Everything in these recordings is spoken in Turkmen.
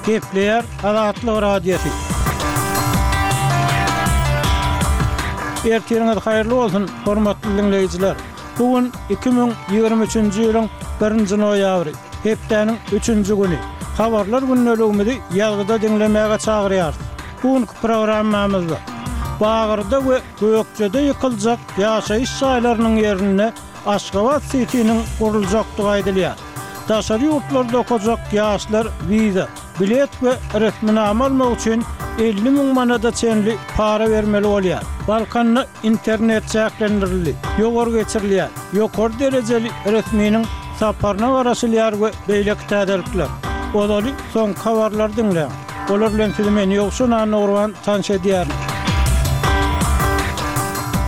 Gepleýär Azatlyk Radiosy. Ertiriňiz haýyrly bolsun, hormatly diňleýjiler! Bu gün 2023-nji ýylyň birinji noýabry, hepdäniň üçünji güni. Habarlar gündeligimizi ýazgyda diňlemäge çagyrýarys. Bu günki programmamyzda Bagyrda we Gökjede ýykyljak ýaşaýyş jaýlarynyň ýerinde Aşgabat sitiniň guruljakdygy aýdylýar. Daşary ýurtlarda okajak ýaşlar wiza, bilet we resminama almak üçin 50 müň manada çenli para bermeli bolýar. Balkanda internet çäklendirildi, ýowar geçirilýär, ýokary derejeli resminiň saparyna garaşylýar we beýleki täzelikler. Ozaly soňky habarlary diňläň. Olar bilen sizi men Ýowşan Annagurban tanyş edýärin.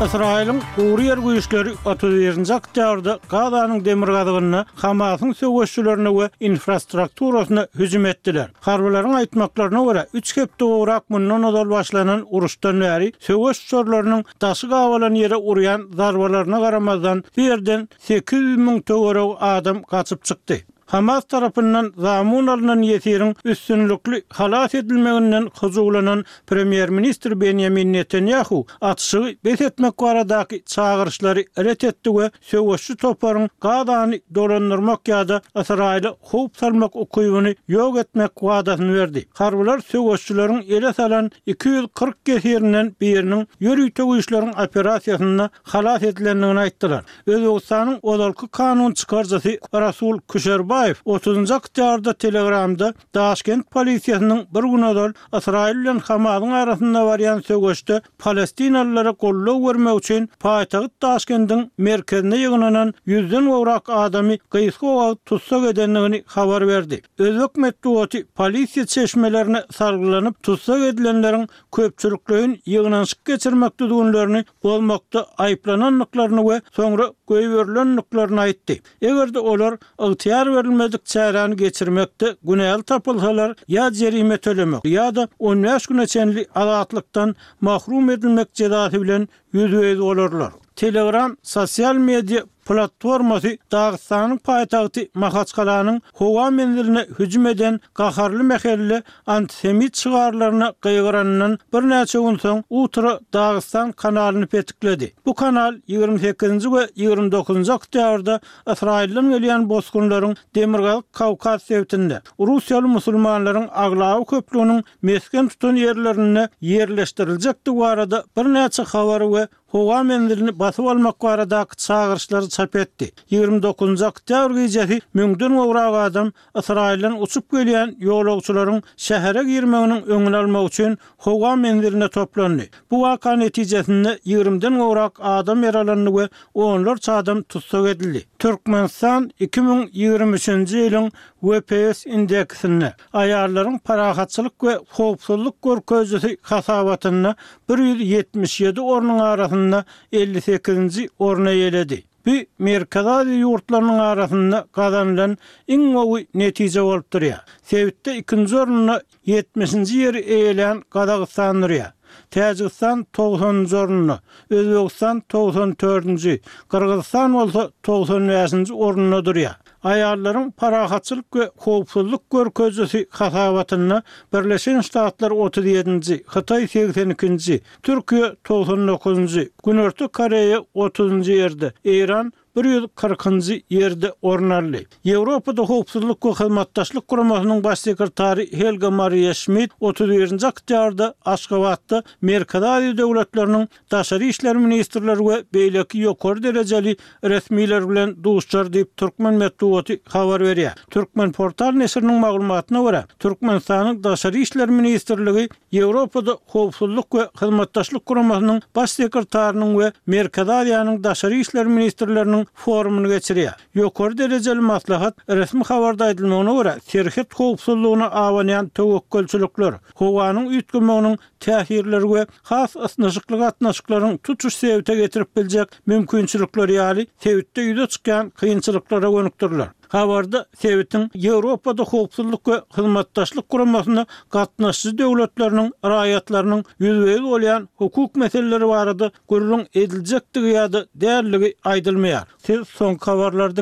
Ysraýylyň gury ýer güýçleri 31-nji oktýabrda Gazanyň demirgazygynda Hamasyň söweşçilerine we infrastrukturasyna hüjüm etdiler. Harbylaryň aýtmaklaryna görä, üç hepde gowrak mundan ozal başlanan uruşdan bäri söweş uçarlarynyň daşy gabalan ýere urýan zarbalaryna garamazdan, bu ýerden 800 müň töweregi adam gaçyp çykdy. Hamas tarapyndan zamun alnan ýesiriň üstünlikli halas edilmeginden hyjuwlanan premýer-ministr Benýamin Netanýahu atyşygy bes etmek baradaky çagyryşlary ret etdi we söweşçi toparyň Gazany dolandyrmak ýa-da Ysraýyla howp salmak ukybyny ýok etmek wadasyny berdi. Harbylar söweşçileriň ele salan 240 ýesirinden biriniň ýörite güýçleriň operasiýasynda halas edilendigini aýtdylar. Özbegistanyň ozalky kanun çykaryjysy Rasul Küşerbaýew otuzynjy oktýabrda Telegramda Daşkent polisiýasynyň bir gün ozal Ysraýyl bilen Hamasyň arasynda barýan söweşde palestinalylara goldaw bermek üçin paýtagt Daşkendiň merkezinde ýygnanan ýüzden gowrak adamy gysga wagt tussag edendigini habar berdi. Özbek metbugaty polisiýa çeşmelerine salgylanyp, tussag edilenleriň köpçülikleýin ýygnanyşyk geçirmek düzgünlerini bozmakda aýyplanandyklaryny we soňra goýberilendiklerini aýtdy. Eger-de olar ygtyýar berilmedik çäräni geçirmekde günäli tapylsalar, ýa jerime tölemek, ýa-da on bäş güne çenli azatlykdan mahrum edilmek jezasy bilen ýüzbe-ýüz bolarlar. Telegram sosial media platformasy Dagystanyň paýtagty Mahaçkalanyň howa menziline hüjüm eden gaharly mähelle antisemit şygarlaryna gygyranyndan birnäçe gün soň Utro Dagystan kanalyny petikledi. Bu kanal 28-nji we 29-njy oktýabrda Ysraýyldan gelýän bosgunlaryň Demirgazyk Kawkaz sebitinde, russiýaly musulmanlaryň aglaba köplüginiň mesgen tutan ýerlerinde ýerleşdiriljekdigi barada birnäçe habary we howa menzilini basyp almak baradaky çagyryşlary çap etdi. 29-njy oktýabr gijesi müňden gowrak adam Ysraýyldan uçup gelýän ýolagçylaryň şähere girmeginiň öňüni almak üçin howa menziline toplandy. Bu waka netijesinde ýigrimiden gowrak adam ýaralandy we onlarça adam tussag edildi. Türkmenistan 2023-nji ýylyň WPS indeksinde Aýallaryň parahatçylyk we howpsuzlyk görkezijisi hasabatynda 177 ornuň arasynda 58-nji orny eýeledi. Bu Merkezi Aziýa ýurtlarynyň arasynda gazanylan iň gowy netije bolup durýar. Sebitde ikinji orunda ýetmişinji ýeri eýelän Gazagystan durýar. Täjigistan togsanynjy orunda, Özbegistan 94 dördünji, Gyrgyzystan bolsa 95-nji orunda durýar. Aýallaryň parahatçylyk we howpsuzlyk görkezijisi hasabatynda Birleşen Ştatlar 37-nji, Hytaý 82-nji, Türkiýe 99-njy, Günorta Koreýa 30-njy ýerde, Eýran 140-njy ýerde orun aldy. Ýewropada Howpsuzlyk we Hyzmatdaşlyk Guramasynyň Baş sekretary Helga Mariýa Şmid 31-nji oktýabrda Aşgabatda Merkezi Aziýa döwletleriniň daşary işler ministrleri we beýleki ýokary derejeli resmiler bilen duşuşar diýip, türkmen metbugaty habar berýär. Türkmenportal neşiriniň maglumatyna görä, Türkmenistanyň Daşary işler ministrligi Ýewropada Howpsuzlyk we Hyzmatdaşlyk Guramasynyň Baş sekretarynyň we Merkezi Aziýanyň daşary işler ministrleriniň forumyny geçirýär. Ýokary derejeli maslahat, resmi habarda aýdylmagyna görä, serhet howpsuzlygyna abanýan töwekgelçilikler, howanyň üýtgemeginiň täsirleri we has ysnyşykly gatnaşyklaryň tutuş sebite getirip biljek mümkinçilikleri ýaly sebitde ýüze çykýan kynçylyklara gönükdiriler. Habarda sebitiň Ýewropada Howpsuzlyk we Hyzmatdaşlyk Guramasyna gatnaşyjy döwletleriniň raýatlarynyň ýüzbe-ýüz bolýan hukuk meseleleri barada gürrüň ediljekdigi ýa-da däldigi aýdylmaýar. Siz soňky habarlary diňläň.